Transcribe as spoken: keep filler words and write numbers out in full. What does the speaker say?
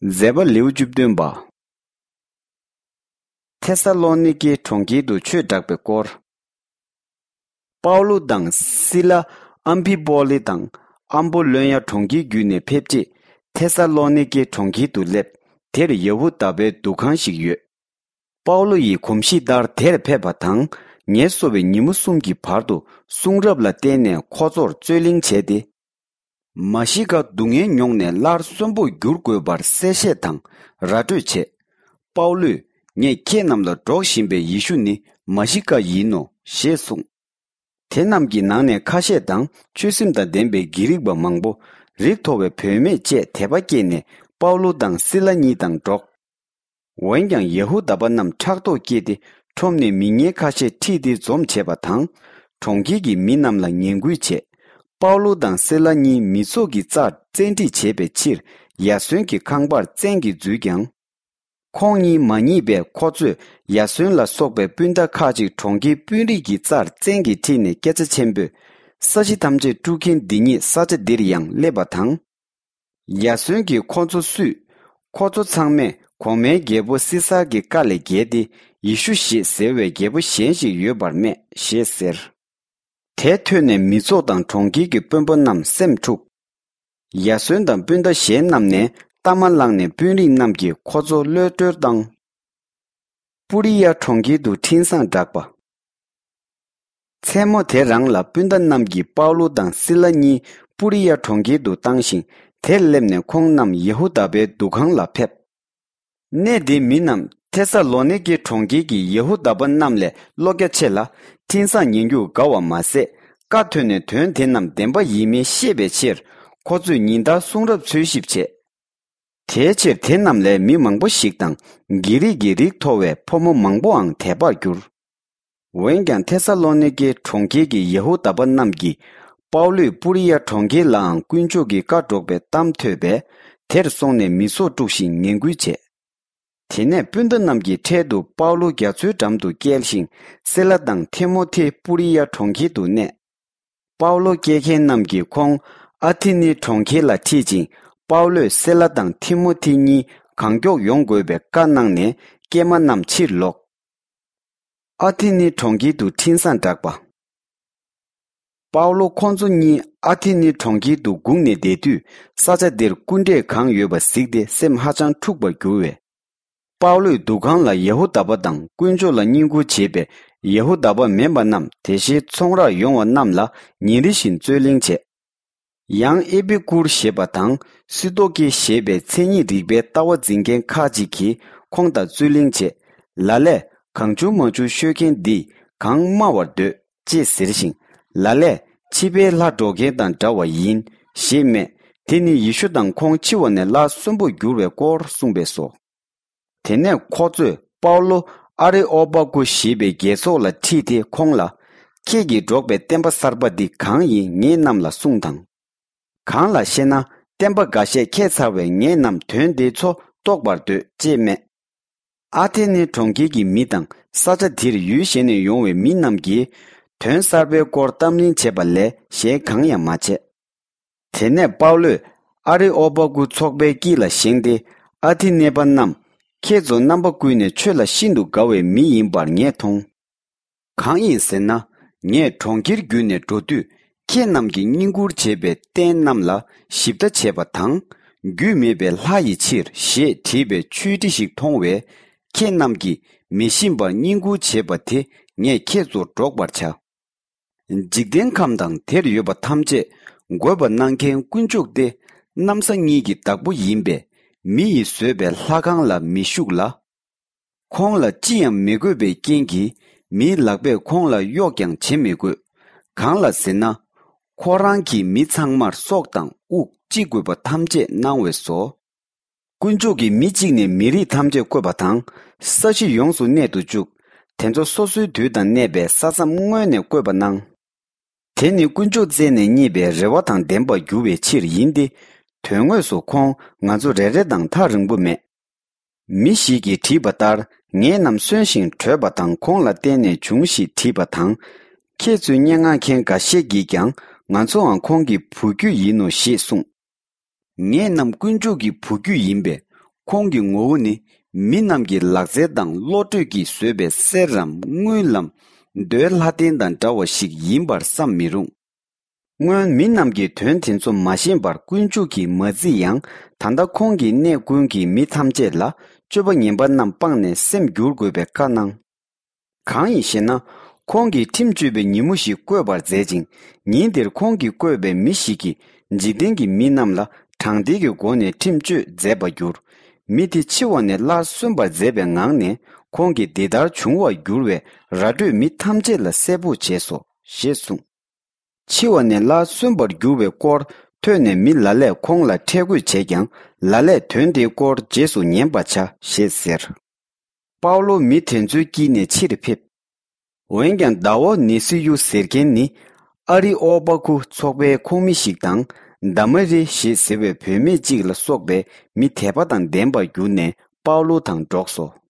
མཛད་པ་ལེའུ་བཅུ་བདུན་པ། ཐེ་ས་ལོ་ནི་ཀེ་གྲོང་ཁྱེར་དུ་ཆོས་བསྒྲགས་པའི་སྐོར། པའུ་ལུ་དང་སི་ལ་ཨམ་ཕི་པོ་ལི་དང་ཨམ་པོ་ལོན་ཡ་གྲོང་ཁྱེར་བརྒྱུད་ནས་ཕེབས་རྗེས། ཐེ་ས་ལོ་ནི་ཀེ་གྲོང་ཁྱེར་དུ་སླེབས། དེར་ཡ་ཧུ་དཱ་པའི་འདུ་ཁང་ཞིག་ཡོད། པའུ་ལུ་ཡི་གོམས་གཤིས་ལྟར་དེར་ཕེབས་པ་དང་། ངལ་གསོ་བའི་ཉིན་མོ་གསུམ་གྱི་བར་དུ་གསུང་རབ་ལ་བརྟེན་ནས་ཁོ་ཚོར་རྩོད་གླེང་བྱས་ཏེ། མ་ཤི་ཀ་སྡུག་བསྔལ་མྱོང་ནས་སླར་གསོན་པོར་འགྱུར་དགོས་པར་གསལ་བཤད་དང་ར་སྤྲོད་བྱས། པའུ་ལུས། ངས་ཁྱེད་རྣམས་ལ་སྒྲོག་བཞིན་པའི་ཡེ་ཤུ་ནི་མ་ཤི་ཀ་ཡིན་ནོ། ཞེས་གསུངས། དེ་རྣམས་ཀྱི་ནང་ནས་ཁ་ཤས་དང་ཆོས་སེམས་དང་ལྡན་པའི་གྷི་རིག་པ་མང་པོ། རིགས་མཐོ་བའི་བུད་མེད་བཅས་དད་པ་སྐྱེས་ནས་པའུ་ལུ་དང་སི་ལ་གཉིས་དང་འགྲོགས། འོན་ཀྱང་ཡ་ཧུ་དཱ་པ་རྣམས་ཕྲག་དོག་སྐྱེས་ཏེ་ཁྲོམ་ནས་མི་ངན་ཁ་ཤས་ཁྲིད་དེ་འཛོམས་བྱས་པ་དང་། གྲོང་ཁྱེར་གྱི་མི་རྣམས་ལ་ངན་སྐུལ་བྱས། པའུ་ལུ་དང་སི་ལ་གཉིས་མི་ཚོགས་ཀྱི་རྩར་བཙན་ཁྲིད་བྱེད་པའི་ཕྱིར་ཡ་སོན་གྱི་ཁང་པར་བཙན་གྱིས་འཛུལ་ཀྱང་། ཁོང་གཉིས་མ་མཉེས་པས་ཁོ་ཚོས་ཡ་སོན་ལ་སོགས་པའི་སྤུན་ཟླ་ཁག་ཅིག་གྲོང་ཁྱེར་དཔོན་རིགས་ཀྱི་རྩར་བཙན་གྱིས་ཁྲིད་ནས་སྐད་ཆ་ཆེན་པོས། ས་གཞི་ཐམས་ཅད་དཀྲུག་མཁན་འདི་ཉིད་ས་ཆ་འདིར་ཡང་སླེབས་པ་དང་། ཡ་སོན་གྱིས་ཁོ་ཚོ་བསུས། ཁོ་ཚོ་ཚང་མས་གོང་མའི་རྒྱལ་པོ་སི་སར་གྱི་བཀའ་ལས་འགལ་ཏེ་ཡེ་ཤུ་ཞེས་ཟེར་བའི་རྒྱལ་པོ་གཞན་ཞིག་ཡོད་པར་སྨྲས་ཞེས་ཟེར། དེ་ཐོས་ནས་མི་ཚོགས་དང་གྲོང་ཁྱེར་གྱི་དཔོན་པོ་རྣམས་སེམས་འཁྲུགས། ཡ་སོན་དང་སྤུན་ཟླ་གཞན་རྣམས་ནས་གཏའ་མ་བླངས་ནས་དཔོན་རིགས་རྣམས་ཀྱིས་ཁོ་ཚོ་གློད་བཀྲོལ་བཏང་། པུ་རི་ཡ་གྲོང་ཁྱེར་དུ་འཕྲིན་བཟང་བསྒྲགས་པ། མཚན་མོ་དེ་རང་ལ་སྤུན་ཟླ་རྣམས་ཀྱིས་པའུ་ལུ་དང་སི་ལ་གཉིས་པུ་རི་ཡ་གྲོང་ཁྱེར་དུ་བཏང་ཞིང་། དེར་སླེབས་ནས་ཁོང་རྣམས་ཡ་ཧུ་དཱ་པའི་འདུ་ཁང་ལ་ཕེབས། གནས་དེའི་མི་རྣམས་ཐེ་ས་ལོ་ནི་ཀེ་གྲོང་ཁྱེར་གྱི་ཡ་ཧུ་དཱ་པ་རྣམས་ལས་བློ་རྒྱ་ཆེ་ལ། འཕྲིན་བཟང་ཉན་རྒྱུར་དགའ་བ་མ་ཟད། བཀའ་ཐོས་ནས་དོན་དེ་རྣམས་བདེན་པ་ཡིན་མིན་ཤེས་པའི་ཕྱིར། ཁོ་ཚོས་ཉིན་ལྟར་གསུང་རབ་འཚོལ་ཞིབ་བྱས། དེའི་ཕྱིར་དེ་རྣམས་ལས་མི་མང་པོ་ཞིག་དང་། གྷི་རིག་གི་རིགས་མཐོ་བའི་ཕོ་མོ་མང་པོའང་དད་པར་གྱུར། འོན་ཀྱང་ཐེ་ས་ལོ་ནི་ཀེ་གྲོང་ཁྱེར་གྱི་ཡ་ཧུ་དཱ་པ་རྣམས་ཀྱིས་པའུ་ལུས་པུ་རི་ཡ་གྲོང་ཁྱེར་ལའང་དཀོན་མཆོག་གི་བཀའ་སྒྲོག་པའི་གཏམ་ཐོས་པས། དེར་སོང་ནས་མི་ཚོགས་དཀྲུགས་ཤིང་ངན་སྐུལ་བྱས། དེ་ནས་སྤུན་ཟླ་རྣམས་ཀྱིས་འཕྲལ་དུ་པའུ་ལུ་རྒྱ་མཚོའི་འགྲམ་དུ་བསྐྱལ་ཞིང་། སེ་ལ་དང་ཐི་མོ་ཐི་པུ་རི་ཡ་གྲོང་ཁྱེར་དུ་གནས། པའུ་ལུ་སྐྱེལ་མཁན་རྣམས་ཀྱིས་ཁོང་ཨ་ཐི་ནི་གྲོང་ཁྱེར་ལ་ཁྲིད་ཅིང་། པའུ་ལུས་སེ་ལ་དང་ཐི་མོ་ཐི་གཉིས་གང་མགྱོགས་ཡོང་དགོས་པའི་བཀའ་གནང་ནས། སྐྱེལ་མ་རྣམས་ཕྱིར་ལོག་ཨ་ཐི་ནི་གྲོང་ཁྱེར་དུ་འཕྲིན་བཟང་བསྒྲགས་པ། པའུ་ལོ་ཁོང་ཚོ་གཉིས་ཨ་ཐི་ནི་གྲོང་ཁྱེར་དུ་སྒུག་ནས་བསྡད་དུས། ས་ཆ་འདིར་སྐུ་འདྲེས་གང་ཡོད་པ་གཟིགས་ཏེ་སེམས་ཧ་ཅང་འཁྲུགས་པར་གྱུར་བས། པའུ་ལོས་འདུ་ཁང་ལ་ཡ་ཧུ་དཱ་པ་དང་དཀོན་མཆོག་ལ་བསྙེན་བཀུར་བྱེད་པའི་ཡ་ཧུ་དཱ་པ་མིན་པ་རྣམས། དེ་བཞིན་ཚོང་རར་ཡོང་བ་རྣམས་ལ་ཉིན་རེ་བཞིན་རྩོད་གླེང་བྱས། ཡང་ཨེ་པི་ཀུར་ཞེས་པ་དང་སི་ཏོ་ཀེ་ཞེས་པའི་མཚན་ཉིད་རིག་པའི་ལྟ་བ་འཛིན་མཁན་ཁག་ཅིག་གིས་ཁོང་དང་རྩོད་གླེང་བྱས། ལ་ལས་གང་བྱུང་མང་བྱུང་ཤོད་མཁན་འདིས་གང་སྨྲ་བར་འདོད་ཅེས་ཟེར་ཞིང་། ལ་ལས་ཕྱི་པའི་ལྷ་སྒྲོག་མཁན་དང་འདྲ་བ་ཡིན་ཞེས་སྨྲས། དེ་ནི་ཡེ་ཤུ་དང་ཁོང་འཆི་བ་ནས་སླར་གསོན་པོར་འགྱུར་བའི་སྐོར་གསུངས་པས་སོ། དེ་ནས་ཁོ་ཚོས་པའུ་ལོ་ཨ་རེ་ཨོ་པ་ཀུ་ཞེས་པའི་རྒྱལ་ཚོགས་ལ་ཁྲིད་དེ་ཁོང་ལ། ཁྱེད་ཀྱིས་སྒྲོག་པའི་བསྟན་པ་གསར་པ་འདི་གང་ཡིན་ངེད་རྣམས་ལ་གསུངས་དང་། གང་ལགས་ཤེ་ན། བསྟན་པ་འགའ་ཤས་ཁྱད་མཚར་བས་ངེད་རྣམས་དོན་དེ་ཚོ་རྟོགས་པར་འདོད་ཅེས་སྨྲས། ཨ་ཐེ་ནེ་གྲོང་ཁྱེར་གྱི་མི་དང་ས་ཆ་དེར་ཡུལ་གཞན་ནས་ཡོང་བའི་མི་རྣམས་ཀྱིས་དོན་གསར་པའི་སྐོར་གཏམ་གླེང་བྱས་པ་ལས་གཞན་གང་ཡང་མ་བྱས། དེ་ནས་པའུ་ལོས་ཨ་རེ་ཨོ་པ་ཀུ་ཚོགས་པའི་དཀྱིལ་ལ་བཞེངས་ཏེ། ཨ་ཐི་ནེ་པ་རྣམས། ཁྱེད་ཚོ་རྣམ་པ་ཀུན་ནས་ཆོས་ལ་ཤིན་ཏུ་དགའ་བའི་མི་ཡིན་པར་ངས་མཐོང་། གང་ཡིན་ཟེར་ན། ངས་གྲོང་ཁྱེར་བརྒྱུད་ནས་འགྲོ་དུས། ཁྱེད་རྣམས་ཀྱིས་བསྙེན་བཀུར་བྱེད་པའི་རྟེན་རྣམས་ལ་ཞིབ་ལྟ་བྱས་པ་དང་། རྒྱུས་མེད་པའི་ལྷ་ཡི་ཕྱིར་ཞེས་བྲིས་པའི་ཆོས་ཁྲི་ཞིག་མཐོང་བས། ཁྱེད་རྣམས་ཀྱིས་མི་ཤེས་པར་བསྙེན་བཀུར་བྱེད་པ་དེ་ངས་ཁྱེད་ཚོར་སྒྲོག་པར་བྱ། འཇིག་རྟེན་ཁམས་དང་དེར་ཡོད་པ་ཐམས་ཅད་བགོས་པ་གནང་མཁན་དཀོན་མཆོག་སྟེ། གནམ་ས་གཉིས་ཀྱི་བདག་པོ་ཡིན་པས། མི་ཡིས་བཟོས་པའི་ལྷ་ཁང་ལ་མི་བཞུགས་ལ། ཁོང་ལ་ཅི་ཡང་མི་དགོས་པའི་རྐྱེན་གྱིས། མིའི་ལག་པས་ཁོང་ལ་གཡོག་ཀྱང་བྱེད་མི་དགོས། གང་ལ་ཟེར་ན། ཁོ་རང་གིས་མི་ཚང་མར་སྲོག་དང་དབུགས་ཅི་དགོས་པ་ཐམས་ཅད་གནང་བས་སོ། དཀོན་མཆོག་གིས་མི་གཅིག་ནས་མི་རིགས་ཐམས་ཅད་བཀོད་པ་དང་། ས་གཞི་ཡོངས་སུ་གནས་དུ་བཅུག་དེ་ཚོ་སོ་སོའི་དུས་དང་གནས་པའི་ས་མཚམས་སྔོན་ནས་བཀོད་པ་གནང་། དེ་ནི་དཀོན་མཆོག་བཙལ་ནས་རྙེད་པའི་རེ་བ་དང་ལྡན་པར་འགྱུར་བའི་ཕྱིར་ཡིན་ཏེ། དོན་དངོས་སུ་ཁོང་ང་ཚོ་རེ་རེ་དང་ཐག་རིང་པོ་མེད། མི་ཞིག་གིས་བྲིས་པ་ལྟར། ངེད་རྣམས་གསོན་ཞིང་བྲོས་པ་དང་། ཁོང་ལ་བརྟེན་ནས་བྱུང་ཞེས་བྲིས་པ་དང་། ཁྱེད་ཚོའི་སྙན་ངག་མཁན་འགའ་ཤས་ཀྱིས་ཀྱང་། ང་ཚོའང་ཁོང་གི་བུ་རྒྱུད་ཡིན་ནོ་ཞེས་གསུངས། ངེད་རྣམས་དཀོན་མཆོག་གི་བུ་རྒྱུད་ཡིན་པས། ཁོང་གི་ངོ་བོ་ནི་མི་རྣམས་ཀྱི་ལག་རྩལ་དང་བློ་གྲོས་ཀྱིས་བཟོས་པའི་གསེར་རམ་དངུལ་ལམ་རྡོའི་ལྷ་རྟེན་དང་འདྲ་བ་ཞིག་ཡིན་པར་བསམ་མི་རུང་། སྔོན་མི་རྣམས་ཀྱིས་དོན་དེ་ཚོ་མ་ཤེས་པར་དཀོན་མཆོག་གིས་མ་བརྩིས་ཡང་། ད་ལྟ་ཁོང་གིས་གནས་ཀུན་གྱི་མི་ཐམས་ཅད་ལ་སྤྱོད་པ་ངན་པ་རྣམས་སྤངས་ནས་སེམས་བསྒྱུར་དགོས་པའི་བཀའ་གནང་། གང་ཡིན་ཞེ་ན། ཁོང་གིས་ཁྲིམས་གཅོད་པའི་ཉིན་མོ་ཞིག་བསྐོས་པར་མཛད་ཅིང་། ཉིན་དེར་ཁོང་གིས་བསྐོས་པའི་མི་ཞིག་གིས་འཇིག་རྟེན་གྱི་མི་རྣམས་ལ་དྲང་བདེན་གྱི་སྒོ་ནས་ཁྲིམས་གཅོད་མཛད་པར་འགྱུར། མི་དེ་འཆི་བ་ནས་སླར་གསོན་པར་མཛད་པའི་ངང་ནས། ཁོང་གིས་འདི་ལྟར་འབྱུང་བར་འགྱུར་བའི་ར་སྤྲོད་མི་ཐམས་ཅད་ལ་གསལ་པོ་བྱས་སོ། ཞེས་གསུངས། འཆི་བ་ནས་སླར་གསོན་པར་འགྱུར་བའི་སྐོར་ཐོས་ནས་མི་ལ་ལས་ཁོང་ལ་ཁྲེལ་དགོད་བྱས་ཀྱང་། ལ་ལས་དོན་དེའི་སྐོར་རྗེས་སུ་ཉན་པར་བྱ་ཞེས་ཟེར། པའུ་ལོ་མི་དེ་ཚོའི་དཀྱིལ་ནས་ཕྱིར་ཕེབས། འོན་ཀྱང་ཟླ་བོ་ནེ་སི་ཡུ་ཟེར་མཁན་ནི་ཨ་རི་ཨོ་པ་ཁུ་ཚོགས་པའི་ཁོངས་མི་ཞིག་དང་། དཱ་མ་རི་ཞེས་ཟེར་བའི་བུད་མེད་ཅིག་ལ་སོགས་པའི་མི་དད་པ་དང་ལྡན་པར་གྱུར་ནས་པའུ་ལོ་དང་འགྲོགས་སོ།